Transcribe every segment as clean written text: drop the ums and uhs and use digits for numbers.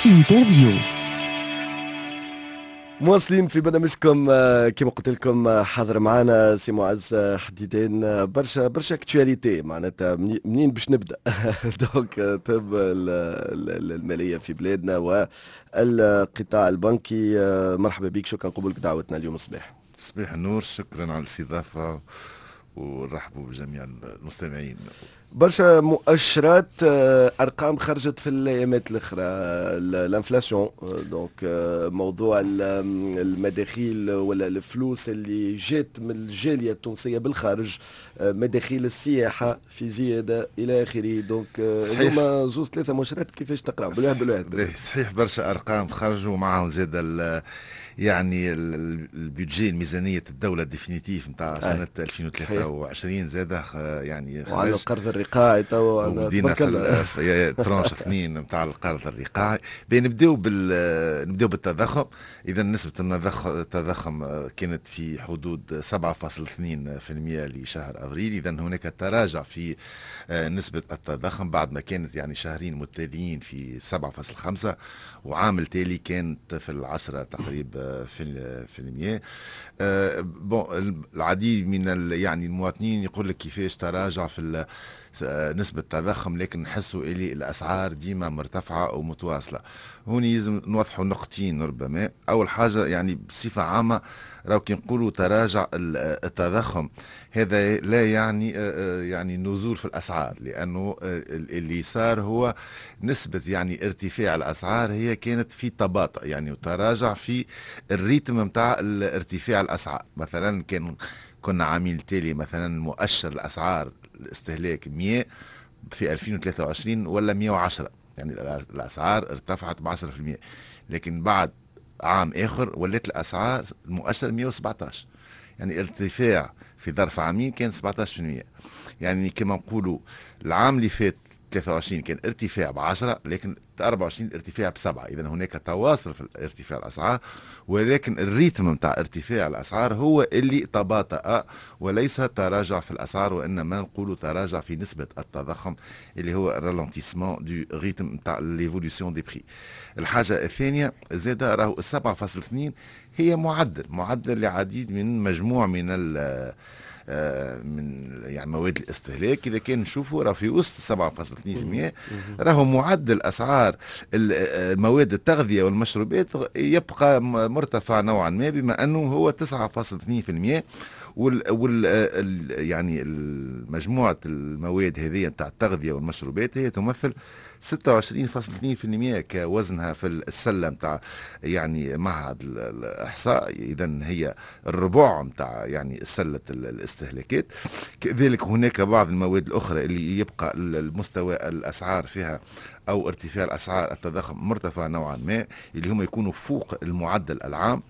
interview. مواصلين في برنامجكم، كما قلت لكم، حاضر معنا سي معز حديدان. برشا برشا actualité، معناتها منين باش نبدا؟ donc تهم المالية في بلادنا والقطاع البنكي. مرحبا بك، شكرا قبولك دعوتنا اليوم الصباح. صباح النور، شكرا على الاستضافة ونرحبوا بجميع المستمعين. برشا مؤشرات، ارقام خرجت في الايامات الاخرى، l'inflation، donc موضوع المداخيل ولا الفلوس اللي جات من الجالية التونسية بالخارج، مداخيل السياحة في زيادة الى اخره. donc هذوما زوز ثلاثة مؤشرات، كيفاش تقرا بالواحد بالواحد؟ صحيح، برشا ارقام خرجوا، معهم زاد يعني ال budget، ميزانية الدولة définitive نتاع سنة 2023 زاد يعني. وعندنا القرض الرقاعي تو. بدينا في tranche 2 نتاع القرض الرقاعي. نبداو بالتضخم. اذا نسبة التضخم كانت في حدود 7.2% لشهر افريل. اذا هناك تراجع في نسبة التضخم بعد ما كانت يعني شهرين متتاليين في 7.5، وعام التالي كانت في 10 تقريبا في المية. Bon، العديد من يعني المواطنين يقول لك كيفاش تراجع في نسبة التضخم، لكن نحسوا اللي الأسعار ديما مرتفعة ومتواصلة. هون لازم نوضحوا نقطتين ربما. أول حاجة، يعني بصفة عامة راهو كي نقولوا تراجع التضخم، هذا لا يعني يعني نزول في الأسعار، لأنه اللي صار هو نسبة يعني ارتفاع الأسعار هي كانت في تباطؤ، يعني تراجع في ال rythme نتاع ارتفاع الأسعار. مثلا كان كنا عامين التالي مثلا مؤشر الأسعار الاستهلاك 100 في 2023 ولا 110، يعني الاسعار ارتفعت ب 10%، لكن بعد عام اخر ولات الاسعار المؤشر 117، يعني ارتفاع في ظرف عامين كان 17%. يعني كما نقولوا العام اللي فات 23 كان ارتفاع ب 10، لكن 24 ارتفاع ب7. اذا هناك تواصل في ارتفاع الاسعار، ولكن ال rythme نتاع ارتفاع الاسعار هو اللي تباطأ وليس تراجع في الاسعار، وانما نقولوا تراجع في نسبه التضخم اللي هو ralentissement du rythme نتاع l'évolution des prix. الحاجة الثانية زاد راهو 7.2 هي معدل لعديد من مجموع من يعني مواد الاستهلاك. اذا كان نشوفوا راه في وسط 7.2% راهو معدل اسعار مواد التغذية والمشروبات يبقى مرتفع نوعا ما، بما انه هو 9.2%، وال يعني مجموعة المواد هذه نتاع التغذية والمشروبات هي تمثل 26.2% كوزنها في السلة نتاع يعني معهد الاحصاء. اذا هي الربع نتاع يعني سله الاستهلاكات. كذلك هناك بعض المواد الاخرى اللي يبقى المستوى الاسعار فيها او ارتفاع الاسعار التضخم مرتفع نوعا ما، اللي هم يكونوا فوق المعدل العام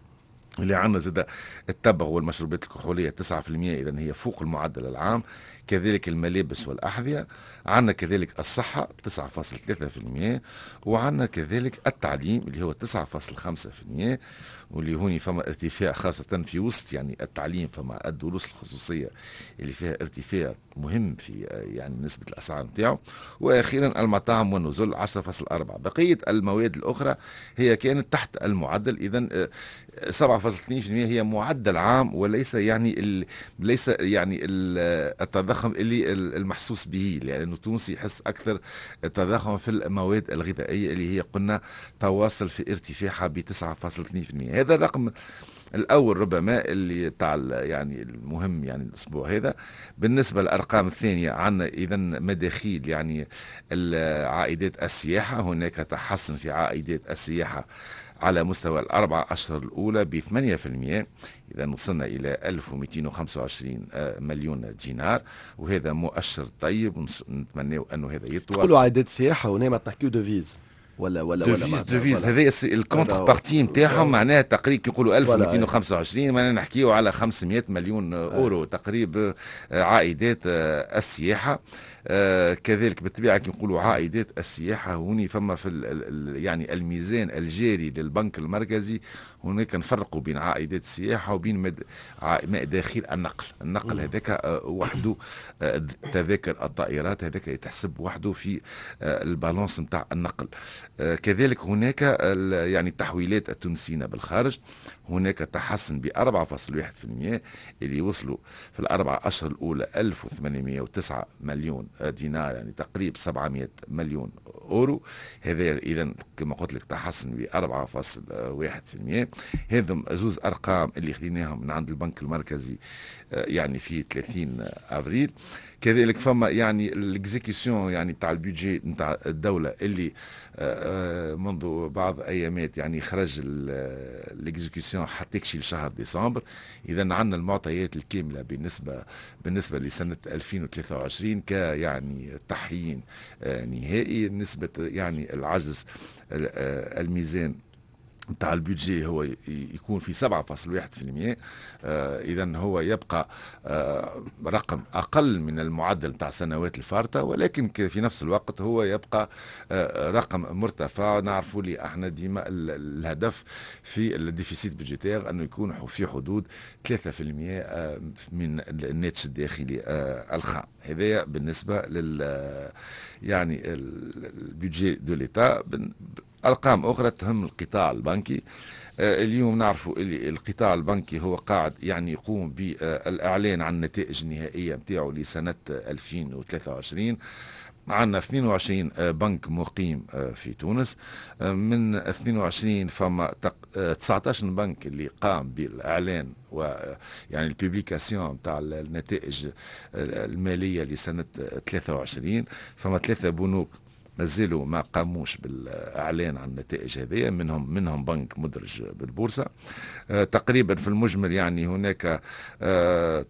اللي عندنا. زاد التبغ والمشروبات الكحولية 9%، إذا هي فوق المعدل العام. كذلك الملابس والأحذية عندنا، كذلك الصحة 9.3%، وعندنا كذلك التعليم اللي هو 9.5%، واللي هوني فما ارتفاع خاصة في وسط يعني التعليم فما الدروس الخصوصية اللي فيها ارتفاع مهم في يعني نسبة الأسعار نتاعو. وأخيرا المطاعم والنزل 10.4. بقية المواد الأخرى هي كانت تحت المعدل. إذا 7.2% هي معدل عام وليس يعني ليس يعني التضخم اللي المحسوس به، لأنه التونسي يحس أكثر التضخم في المواد الغذائية اللي هي قلنا تواصل في ارتفاعها ب 9.2%. هذا الرقم الاول ربما اللي تاع يعني المهم يعني الاسبوع هذا. بالنسبة للارقام الثانيه، عندنا اذا مداخيل يعني عائدات السياحه. هناك تحسن في عائدات السياحة على مستوى ال4 أشهر الأولى ب 8%. إذا وصلنا إلى 1225 مليون دينار، وهذا مؤشر طيب، نتمنى أنه هذا يتواصل. تقولوا عائدات السياحة ونعم تحكيو devises. ولا devises هذا ال contrepartie نتاعهم، معناها تقريبا يقولوا 1225، معناها نحكيو على 500 مليون اورو تقريبا عائدات السياحه. كذلك بالطبيعة كي نقولوا عائدات السياحه، هوني فما في ال يعني الميزان الجاري للبنك المركزي، هناك نفرقوا بين عائدات السياحة وبين مداخيل النقل. النقل هذاك وحده، تذاكر الطائرات هذاك يتحسب وحده في ال balance نتاع النقل. كذلك هناك يعني التحويلات التونسيين بالخارج، هناك تحسن ب 4.1% اللي وصلوا في ال4 أشهر الأولى 1809 مليون دينار، يعني تقريب 700 مليون أورو. هذا إذا كما قلت لك تحسن ب 4.1. هذم زوز أرقام اللي خذيناهم من عند البنك المركزي يعني في 30 أفريل. كذلك فما يعني l'exécution يعني بتاع ال budget نتاع الدولة اللي منذ بعض ايامات يعني خرج l'exécution حتى لشهر ديسمبر. اذا عندنا المعطيات الكاملة بالنسبه لسنه 2023 كيعني تحيين نهائي. نسبه يعني العجز الميزان نتاع ال budget هو يكون في 7.1%. اذا هو يبقى رقم اقل من المعدل نتاع السنوات الفارطه، ولكن في نفس الوقت هو يبقى رقم مرتفع. نعرفوا لي احنا ديما الهدف في ال déficit budgétaire انه يكون في حدود 3% من الناتج الداخلي الخام. هذا بالنسبة لل يعني ال budget de l'État. ارقام اخرى تهم القطاع البنكي، اليوم نعرفوا اللي القطاع البنكي هو قاعد يعني يقوم بالاعلان عن النتائج النهائية نتاعو لسنه 2023. عندنا 22 بنك مقيم في تونس، من 22 فما 19 بنك اللي قام بالاعلان ويعني ال publication تاع النتائج المالية لسنه 23. فما ثلاثة بنوك مازالوا ما قاموش بالاعلان عن النتائج هذه، منهم بنك مدرج بالبورصه. تقريبا في المجمل يعني هناك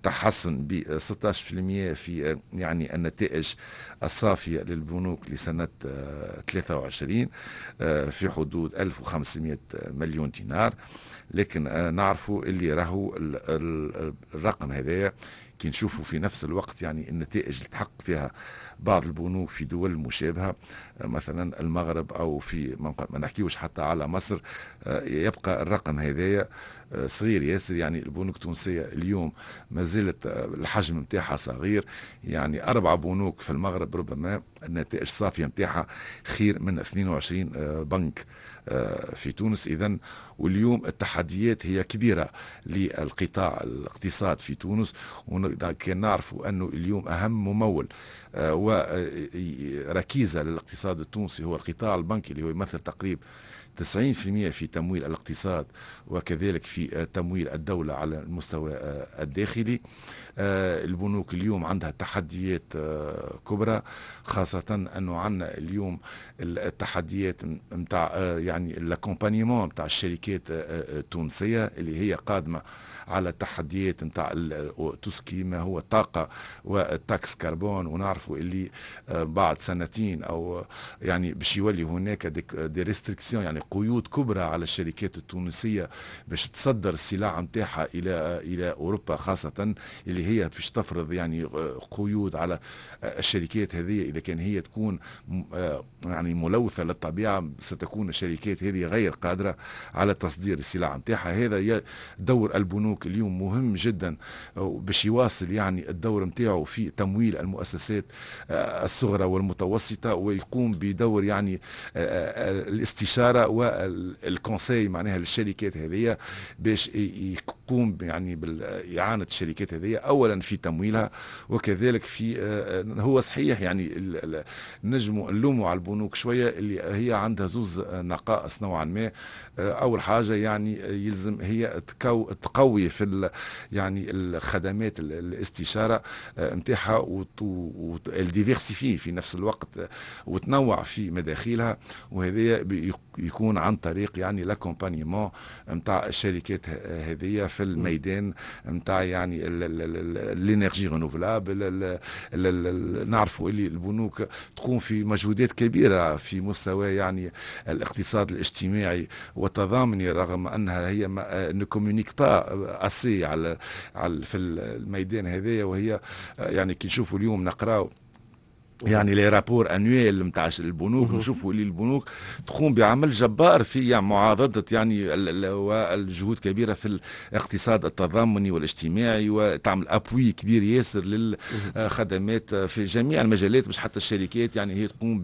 تحسن ب 16% في يعني النتائج الصافية للبنوك لسنه 23 في حدود 1500 مليون دينار. لكن نعرفوا اللي راهو الرقم هذايا كي نشوفوا في نفس الوقت يعني النتائج اللي تحقق فيها بعض البنوك في دول مشابهة، مثلا المغرب أو في ما نحكيوش حتى على مصر، يبقى الرقم هذايا صغير ياسر. يعني البنوك التونسية اليوم ما زالت الحجم نتاعها صغير، يعني أربع بنوك في المغرب ربما النتائج الصافية نتاعها خير من 22 بنك في تونس. إذا واليوم التحديات هي كبيرة للقطاع الاقتصاد في تونس، وكان نعرفوا أنه اليوم أهم ممول وركيزة للاقتصاد التونسي هو القطاع البنكي، اللي هو يمثل تقريبا 90% في تمويل الاقتصاد وكذلك في تمويل الدولة على المستوى الداخلي. البنوك اليوم عندها تحديات كبرى، خاصة أنه عندنا اليوم التحديات نتاع يعني l'accompagnement نتاع الشركات التونسية اللي هي قادمة على التحديات نتاع tout ce qui ما هو الطاقة وال taxe carbone. ونعرفوا اللي بعد سنتين أو يعني باش يولي هناك des restrictions، يعني قيود كبرى على الشركات التونسية باش تصدر السلع نتاعها الى اوروبا، خاصة اللي هي باش تفرض يعني قيود على الشركات هذه اذا كان هي تكون يعني ملوثة للطبيعه، ستكون الشركات هذه غير قادرة على تصدير السلع نتاعها. هذا دور البنوك اليوم مهم جدا باش يواصل يعني الدور نتاعو في تمويل المؤسسات الصغرى والمتوسطة ويقوم بدور يعني الاستشارة وال conseil معناها للشركات هذه، باش يقوم يعني باعانه الشركات هذه اولا في تمويلها وكذلك في هو صحيح يعني نجموا نلوموا على البنوك شويه، اللي هي عندها زوز نقائص نوعا ما. اول حاجة يعني يلزم هي تقوي في يعني الخدمات الاستشارة نتاعها وال diversifier في نفس الوقت وتنوع في مداخيلها، وهذا يكون عن طريق يعني l'accompagnement نتاع الشركات هذه في في الميدان نتاع يعني l'énergie renouvelable. نعرفوا اللي البنوك تقوم في مجهودات كبيرة في مستوى يعني الاقتصاد الاجتماعي والتضامني، رغم انها هي ne communique pas assez على في الميدان هذايا. وهي يعني كي نشوفوا اليوم نقراو يعني les rapports annuels نتاع البنوك، نشوفوا اللي البنوك تقوم بعمل جبار في يعني معاضده يعني والجهود كبيرة في الاقتصاد التضامني والاجتماعي، وتعمل appui كبير ياسر للخدمات في جميع المجالات، مش حتى الشركات، يعني هي تقوم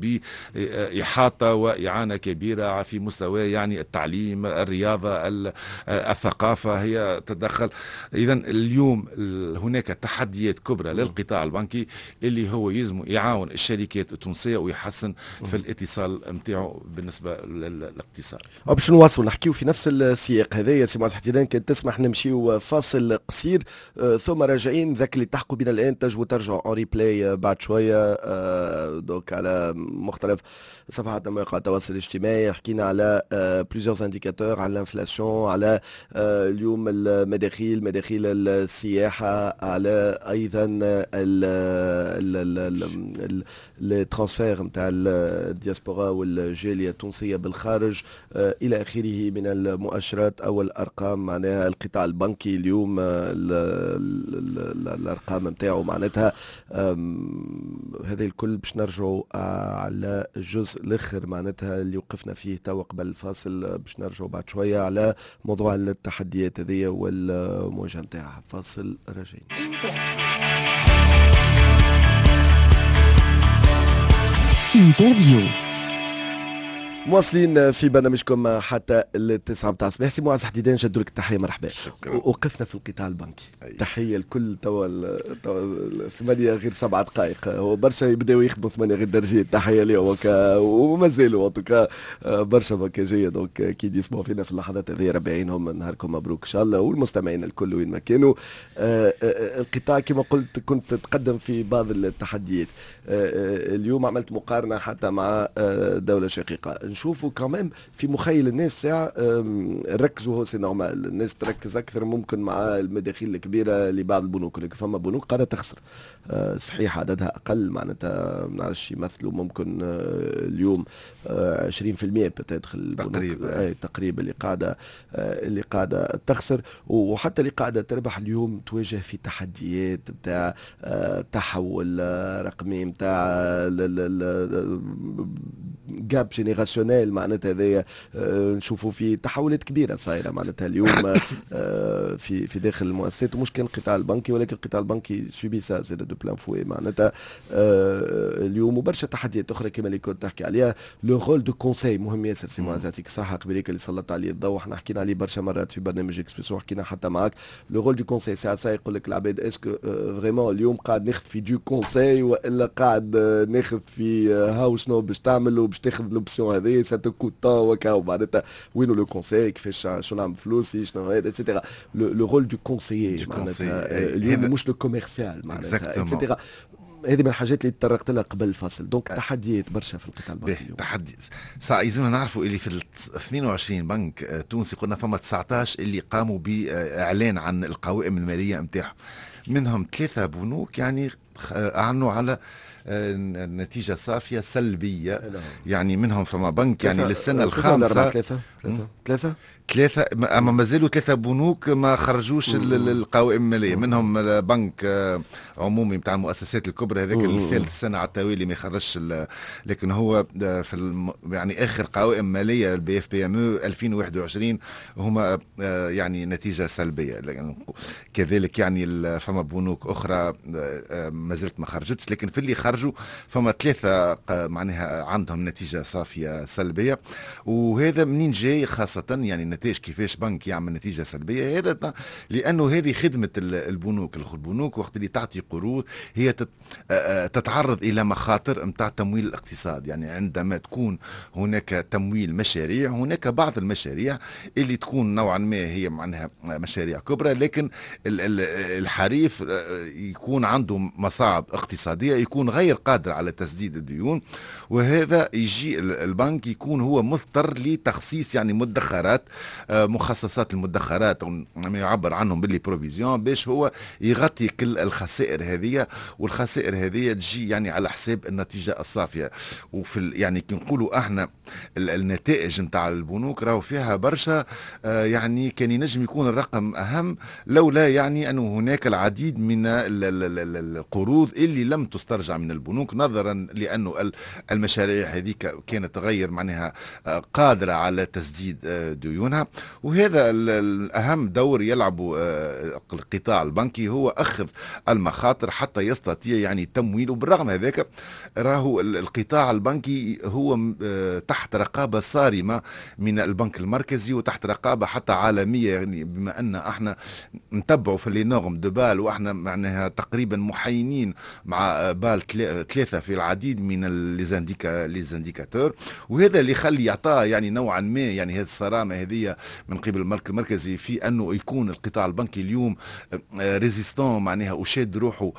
باحاطه واعانه كبيرة في مستوى يعني التعليم، الرياضه، الثقافه، هي تتدخل. اذا اليوم هناك تحديات كبرى للقطاع البنكي اللي هو يلزم يعاون الشركات التونسية ويحسن في الاتصال نتاعو بالنسبة للاقتصاد. باش نواصلوا نحكيو في نفس السياق هذايا سي معز حديدان، كان تسمح نمشيو فاصل قصير ثم راجعين. ذاك اللي تحقوا بنا الان تنجموا ترجعوا en replay بعد شوية donc على مختلف صفحات مواقع التواصل الاجتماعي. حكينا على plusieurs indicateurs، على l'inflation، على اليوم المداخيل، مداخيل السياحه، على ايضا les transferts نتاع الدياسبورا والجاليه التونسية بالخارج الى اخره من المؤشرات او الارقام. معناها القطاع البنكي اليوم الارقام نتاعو معناتها هذا الكل باش نرجعوا على الجزء الاخر معناتها اللي وقفنا فيه توا قبل الفاصل، باش نرجعوا بعد شوية على موضوع التحديات هذه والمواجهة نتاعها. فاصل، راجعين. interview. مواصلين في برنامجكم حتى 9 متاع الصباح. سي معز حديدان، نجدوا لك التحيه، مرحبا. شكرا. وقفنا في القطاع البنكي. تحية الكل توا 7:07، هو برشا يبداو يخدموا 8 غير درجين، تحية لهم ومازالوا en tout cas برشا بنكاجيه donc كي يسمعوا فينا في اللحظات هذه ربي يعينهم. نهاركم مبروك ان شاء الله، والمستمعين الكل وين ما كانوا. القطاع كما قلت كنت تقدم في بعض التحديات. اليوم عملت مقارنة حتى مع دولة شقيقه، نشوفوا quand même في مخيل الناس ساعة ركزوا، هو c'est normal الناس تركز أكثر ممكن مع المداخيل الكبيرة لبعض البنوك، لكن فما بنوك قاعدة تخسر، صحيح عددها أقل معناتها ما نعرفش يمثلوا ممكن اليوم 20% peut-être تقريبا تقريبا اللي قاعدة تخسر، وحتى اللي قاعدة تربح اليوم تواجه في تحديات نتاع تحول رقمي، نتاع gap générationnel معناتها هذايا نشوفوا في تحولات كبيرة صايرة معناتها اليوم في داخل المؤسسات، ومش كان القطاع البنكي، ولكن القطاع البنكي subit ça زاد de plein fouet معناتها اليوم، وبرشا تحديات اخرى كما اللي كنت تحكي عليها. le rôle de conseil مهم ياسر سي معز، يعطيك الصحة قبليك اللي سلطت عليه الضوء، احنا حكينا عليه برشا مرات في برنامج اكسبريسو، حكينا حتى معاك le rôle du conseil. ساعات ساعة يقول لك العباد est-ce que vraiment اليوم قاعد ناخذ في du conseil والا قاعد ناخذ في هاو شنو باش تعمل وباش تاخذ l'option هذه ça te coûte tant وكاو معناتها وينو le conseil، كيفاش شنو نعمل فلوسي شنو هذا et cetera. le rôle du conseiller معناتها اليوم مش le commercial معناتها et cetera. هذه من الحاجات اللي تطرقت لها قبل الفاصل. donc تحديات برشا في القطاع البنكي اليوم. تحدي صح، لازم نعرفوا اللي في 22 بنك تونسي قلنا فما 19 اللي قاموا باعلان عن القوائم المالية نتاعهم، منهم 3 بنوك يعني اعلنوا على نتيجة صافية سلبية، يعني منهم فما بنك يعني للسنة الخامسة ثلاثة، أما مازالوا 3 بنوك ما خرجوش القوائم المالية، منهم بنك عمومي بتاع المؤسسات الكبرى هذاك الثالث سنة على التوالي ما يخرجش، لكن هو في يعني آخر قوائم مالية ال BFPME 2021 هما يعني نتيجة سلبية. كذلك يعني فما بنوك أخرى ما زلت ما خرجتش، لكن في اللي خرجوا فما 3 معناها عندهم نتيجة صافية سلبية. وهذا منين جاي خاصة يعني النتائج كيفاش بنك يعمل نتيجة سلبية؟ هذا لأنه هذه خدمة البنوك. البنوك وقت اللي تعطي قروض هي تتعرض إلى مخاطر متاع تمويل الاقتصاد، يعني عندما تكون هناك تمويل مشاريع، هناك بعض المشاريع اللي تكون نوعا ما هي معناها مشاريع كبرى، لكن الحريف يكون عنده مصاعب اقتصادية يكون غير غير قادرة على تسديد الديون، وهذا يجي البنك يكون هو مضطر لتخصيص يعني مدخرات، مخصصات المدخرات ما يعبر عنهم ب les provisions، باش هو يغطي كل الخسائر هذه، والخسائر هذه تجي يعني على حساب النتيجة الصافيه. وفي يعني كي نقولوا احنا النتائج نتاع البنوك راهو فيها برشا، يعني كان ينجم يكون الرقم اهم لولا يعني انه هناك العديد من القروض اللي لم تسترجع من البنوك، نظرا لانه المشاريع هذيك كانت غير معناها قادرة على تسديد ديونها. وهذا الاهم دور يلعبه القطاع البنكي هو اخذ المخاطر حتى يستطيع يعني تمويل. وبالرغم هذاك راهو القطاع البنكي هو تحت رقابه صارمة من البنك المركزي وتحت رقابه حتى عالميه، يعني بما ان احنا نتبعوا في les normes de Bâle، واحنا معناها تقريبا محينين مع بال 3 في العديد من les indicateurs. وهذا اللي يخلي يعطاه يعني نوعا ما يعني هذه الصرامه هذه من قبل البنك المركزي في انه يكون القطاع البنكي اليوم résistant معناها وشاد روحه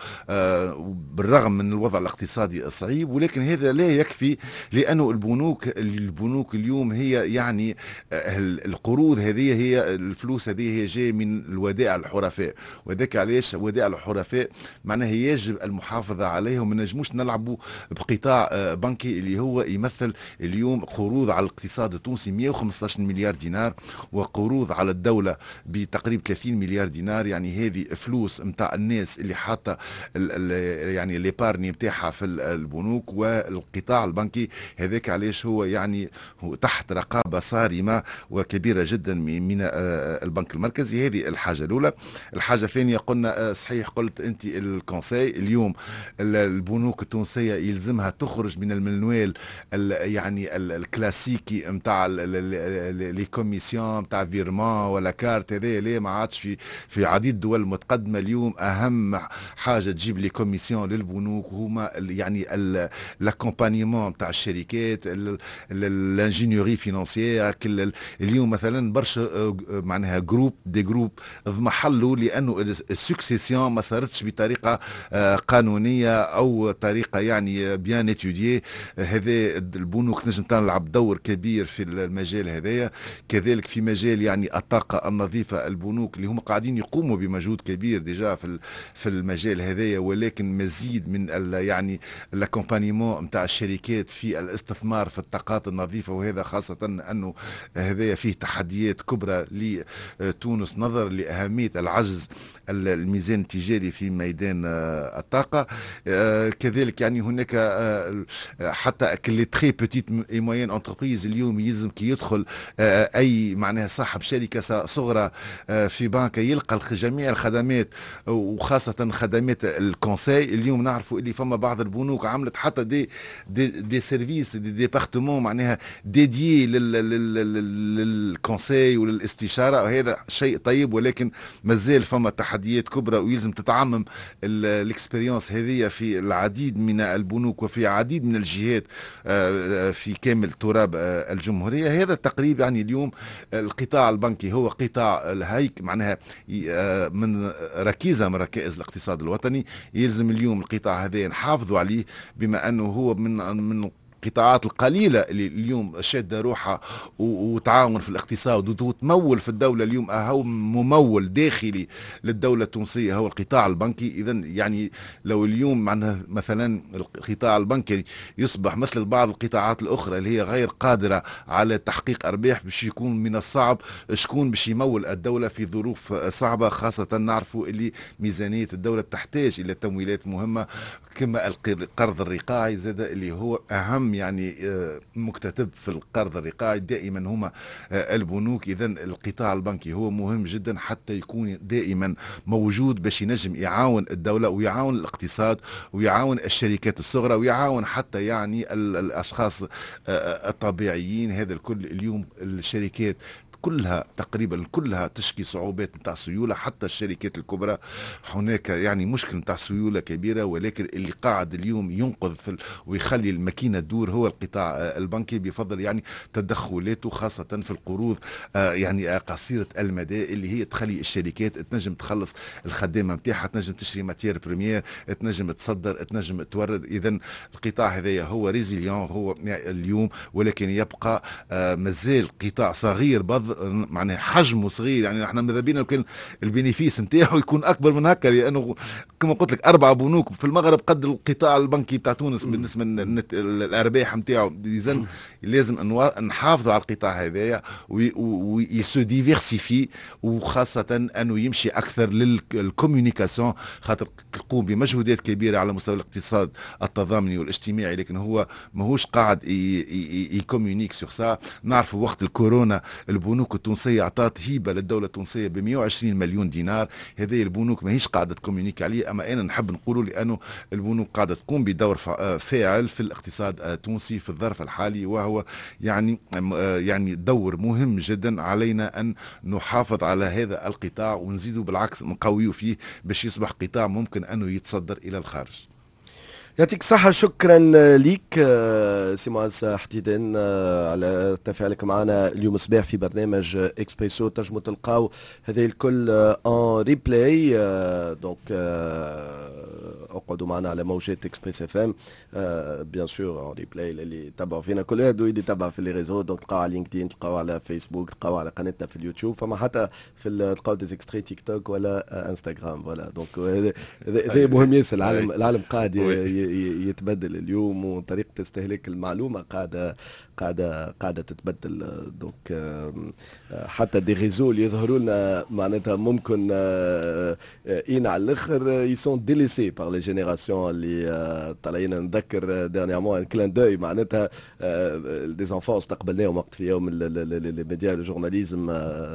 بالرغم من الوضع الاقتصادي الصعيب. ولكن هذا لا يكفي، لانه البنوك اليوم هي يعني القروض هذه، هي الفلوس هذه هي جاية من الودائع الحرفاء، وذاك علاش ودائع الحرفاء معناها يجب المحافظة عليها، وما نجموش نلعبوا بقطاع بنكي اللي هو يمثل اليوم قروض على الاقتصاد التونسي 115 مليار دينار وقروض على الدولة بتقريب 30 مليار دينار. يعني هذه فلوس نتاع الناس اللي حاطه يعني l'épargne نتاعها في البنوك والقطاع البنكي. هذاك علاش هو يعني هو تحت رقابه صارمة وكبيره جدا من البنك المركزي. هذه الحاجة الاولى. الحاجة الثانيه، قلنا صحيح قلت انت ال conseil، اليوم البنوك التونسية يلزمها تخرج من المنوال يعني الكلاسيكي نتاع les commissions نتاع virement ولا كارت. هذا ليه ما عادش في عديد الدول المتقدمه. اليوم اهم حاجة تجيب les commissions للبنوك هما يعني l'accompagnement نتاع الشركات، l'ingénierie financière. اليوم مثلا برشا معناها groupes، des groupes اضمحلوا لانه ال succession ما صارتش بطريقة قانونية او طريقه يعني bien étudiée. هذا البنوك نجم تلعب دور كبير في المجال هذايا. كذلك في مجال يعني الطاقة النظيفه، البنوك اللي هم قاعدين يقوموا بمجهود كبير déjà في المجال هذايا، ولكن مزيد من يعني l'accompagnement نتاع الشركات في الاستثمار في الطاقات النظيفه، وهذا خاصة انه هذايا فيه تحديات كبرى لتونس نظرا لاهمية العجز الميزان التجاري في ميدان الطاقه. كذلك يعني هناك حتى les très petites et moyennes entreprises، اليوم يلزم كي يدخل اي معناها صاحب شركة صغرى في بنك يلقى جميع الخدمات وخاصة خدمات ال conseil. اليوم نعرفوا اللي فما بعض البنوك عملت حتى des services، des départements معناها dédiés لل conseil وللاستشاره، وهذا شيء طيب، ولكن مازال فما تحديات كبرى ويلزم تتعمم l'expérience هذه في العديد من البنوك وفي عديد من الجهات في كامل تراب الجمهوريه. هذا التقريب يعني اليوم القطاع البنكي هو قطاع الهيك معناها من ركيزة من ركائز الاقتصاد الوطني. يلزم اليوم القطاع هذا نحافظوا عليه بما انه هو من القطاعات القليلة اللي اليوم شاده روحها وتعاون في الاقتصاد وتمول في الدوله. اليوم اهم ممول داخلي للدولة التونسية هو القطاع البنكي. اذا يعني لو اليوم معناها مثلا القطاع البنكي يصبح مثل بعض القطاعات الاخرى اللي هي غير قادرة على تحقيق ارباح، باش يكون من الصعب شكون باش يمول الدولة في ظروف صعبه، خاصة نعرفوا اللي ميزانية الدولة تحتاج الى تمويلات مهمة كما القرض الرقاعي زاد، اللي هو اهم يعني مكتتب في القرض الرقاعي دائما هما البنوك. اذا القطاع البنكي هو مهم جدا حتى يكون دائما موجود باش ينجم يعاون الدولة ويعاون الاقتصاد ويعاون الشركات الصغرى ويعاون حتى يعني الاشخاص الطبيعيين. هذا الكل اليوم الشركات كلها تقريبا كلها تشكي صعوبات نتاع سيوله، حتى الشركات الكبرى هناك يعني مشكل نتاع سيولة كبيره. ولكن اللي قاعد اليوم ينقذ في ويخلي الماكينة تدور هو القطاع البنكي، بفضل يعني تدخلاته خاصة في القروض يعني قصيرة المدى، اللي هي تخلي الشركات تنجم تخلص الخدامة نتاعها، تنجم تشري matière première، تنجم تصدر، تنجم تورد. اذا القطاع هذايا هو résilient هو اليوم، ولكن يبقى مازال قطاع صغير بض معناها حجمه صغير. يعني احنا ماذا بينا كان ال bénéfice نتاعو يكون اكبر من هكا، لانه كما قلت لك اربع بنوك في المغرب قد القطاع البنكي تاع تونس بالنسبة للارباح نتاعو. اذا لازم نحافظوا على القطاع هذايا و se diversifie، وخاصة انه يمشي اكثر لل communication، خاطر يقوم بمجهودات كبيرة على مستوى الاقتصاد التضامني والاجتماعي، لكن هو ماهوش قاعد ي communique sur ça. نعرفوا وقت الكورونا البنوك التونسية اعطت هبه للدولة التونسية ب 120 مليون دينار. هذه البنوك ماهيش قاعدة ت communique عليه، اما انا نحب نقوله لانه البنوك قاعدة تقوم بدور فاعل في الاقتصاد التونسي في الظرف الحالي، وهو يعني دور مهم جدا. علينا ان نحافظ على هذا القطاع ونزيده، بالعكس نقويه فيه باش يصبح قطاع ممكن انه يتصدر الى الخارج. يعطيك الصحة، شكرا ليك سي معز حديدان على تفاعلك معنا اليوم صباح في برنامج اكسبريسو. تنجموا تلقاو هذه الكل en replay، donc اقعدوا معنا على موجات Express FM، bien sûr en replay اللي تبعوا فينا كل واحد اللي يتبع في les réseaux، donc تلقاو على LinkedIn، تلقاو على فيسبوك، تلقاو على قناتنا في اليوتيوب، فما حتى في تلقاو des extraits تيك توك ولا انستغرام. voilà، donc هذا مهم ياسر. العالم قاعد يتبدل اليوم، وطريقه استهلاك المعلومة قاعده تتبدل. donc حتى des réseaux اللي يظهروا لنا معناتها ممكن إين على الاخر، ils sont délaissés par les générations اللي طالعين. نذكر dernièrement un clin d'œil، معناتها des enfants استقبلناهم وقت في يوم les médias، le journalisme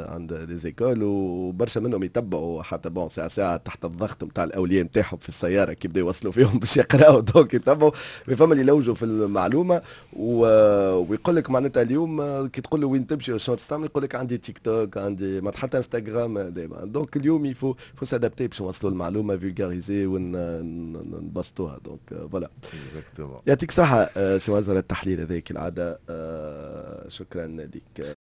عند les écoles، وبرشا منهم يتبعوا حتى bon ساعة ساعة تحت الضغط نتاع الاولياء نتاعهم في السيارة كي يبداو يوصلوا فيهم باش يقراو، donc يتبعوا. فما اللي يلوجوا في المعلومة ويقول لك معناتها اليوم كي تقول له وين تمشي وشنو تستعمل، يقول لك عندي تيك توك، عندي ما حتى انستغرام دائما. donc اليوم il faut s'adapter باش نوصلوا المعلومه، vulgariser ونبسطوها. donc voilà، يعطيك صحة سي معز على التحليل هذاك العاده، شكرا لك.